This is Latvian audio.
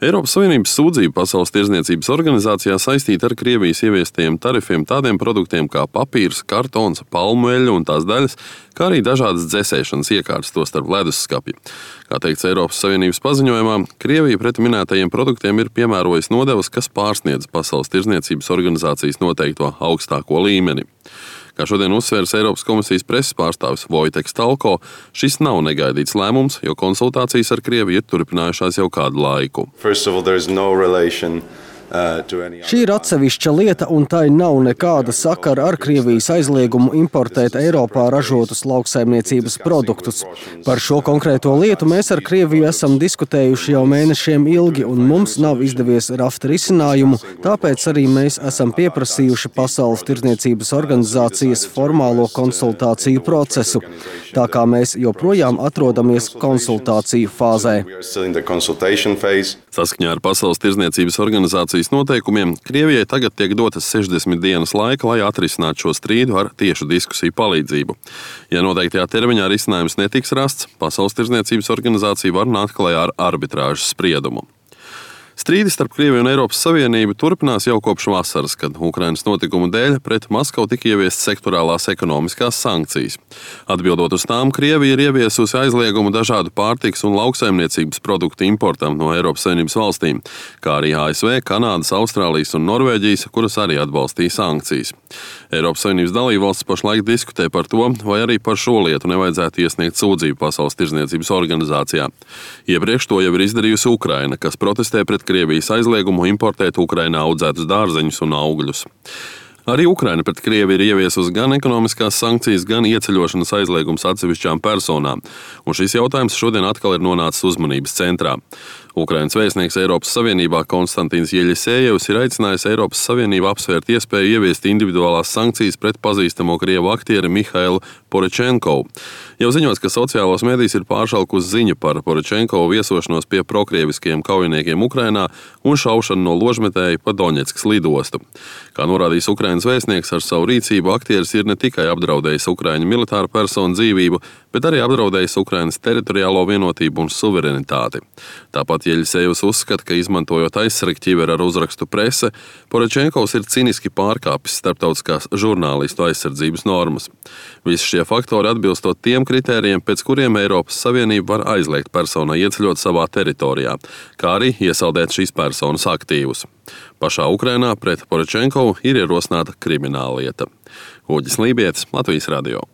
Eiropas Savienības sūdzība Pasaules tirdzniecības organizācijā saistīta ar Krievijas ieviestajiem tarifiem tādiem produktiem kā papīrs, kartons, palmu eļļa un tās daļas, kā arī dažādas dzesēšanas iekārtas, tostarp ledusskapji. Kā teikts Eiropas Savienības paziņojumā, Krievija pret minētajiem produktiem ir piemērojusi nodevas, kas pārsniedz Pasaules tirdzniecības organizācijas noteikto augstāko līmeni. Kā šodien uzsvērs Eiropas komisijas preses pārstāvis Vojteks Talko, šis nav negaidīts lēmums, jo konsultācijas ar Krieviju ir turpinājušās jau kādu laiku. Šī ir atsevišķa lieta, un tai nav nekāda sakara ar Krievijas aizliegumu importēt Eiropā ražotus lauksaimniecības produktus. Par šo konkrēto lietu mēs ar Krieviju esam diskutējuši jau mēnešiem ilgi, un mums nav izdevies rast risinājumu, tāpēc arī mēs esam pieprasījuši Pasaules tirdzniecības organizācijas formālo konsultāciju procesu, tā kā mēs joprojām atrodamies konsultāciju fāzē. Saskaņā ar Pasaules tirdzniecības organizācijas noteikumiem, Krievijai tagad tiek dotas 60 dienas laika, lai atrisinātu šo strīdu ar tiešu diskusiju palīdzību. Ja noteiktajā termiņā risinājums netiks rasts, Pasaules tirdzniecības organizācija var nākt klajā ar arbitrāžas spriedumu. Strīdi starp Krieviju un Eiropas Savienību turpinās jau kopš vasaras, kad Ukrainas notikumu dēļ pret Maskavu tika ieviestas sektorālās ekonomiskās sankcijas. Atbildot uz tām, Krievija ir ieviesusi aizliegumu dažādu pārtikas un lauksaimniecības produktu importam no Eiropas Savienības valstīm, kā arī ASV, Kanādas, Austrālijas un Norvēģijas, kuras arī atbalstīja sankcijas. Eiropas Savienības dalībvalstis pašlaik diskutē par to, vai arī par šo lietu nevajadzētu iesniegt sūdzību Pasaules tirdzniecības organizācijā. Iepriekš to jau ir izdarījusi Ukraina, kas protestē pret Krievijas aizliegumu importēt Ukrainā audzētus dārzeņus un augļus. Arī Ukraina pret Krieviju ir ieviesusi gan ekonomiskās sankcijas, gan ieceļošanas aizliegums atsevišķām personām, un šis jautājums šodien atkal ir nonācis uzmanības centrā. Ukrainas vēstnieks Eiropas Savienībā Konstantīns Jeļisejevs ir aicinājis Eiropas Savienību apsvērt iespēju ieviest individuālās sankcijas pret pazīstamo krievu aktieri Mihailu Poročenkovu. Jau ziņots, ka sociālos medijos ir pāršalkusi ziņa par Poročenkovu viesošanos pie prokrieviskajiem kaujiniekiem Ukrainā un šaušanu no ložmetēja pa Doņetskas lidostu. Kā norādījis Ukrainas vēstnieks, ar savu rīcību aktieris ir ne tikai apdraudējis Ukraiņu militāru personu dzīvību, bet arī apdraudējis Ukrainas teritoriālo vienotību un suverenitāti. Tāpat Jeļisejevs uzskata, ka izmantojot aizsargķiveri ar uzrakstu prese, Poročenkovs ir ciniski pārkāpis starptautiskās žurnālistu aizsardzības normas. Visi šie faktori atbilstot tiem kritērijiem, pēc kuriem Eiropas Savienība var aizliegt personai ieceļot savā teritorijā, kā arī iesaldēt šīs personas aktīvus. Pašā Ukrainā pret Poročenkovu ir ierosināta krimināllieta. Uģis Lībietis, Latvijas radio.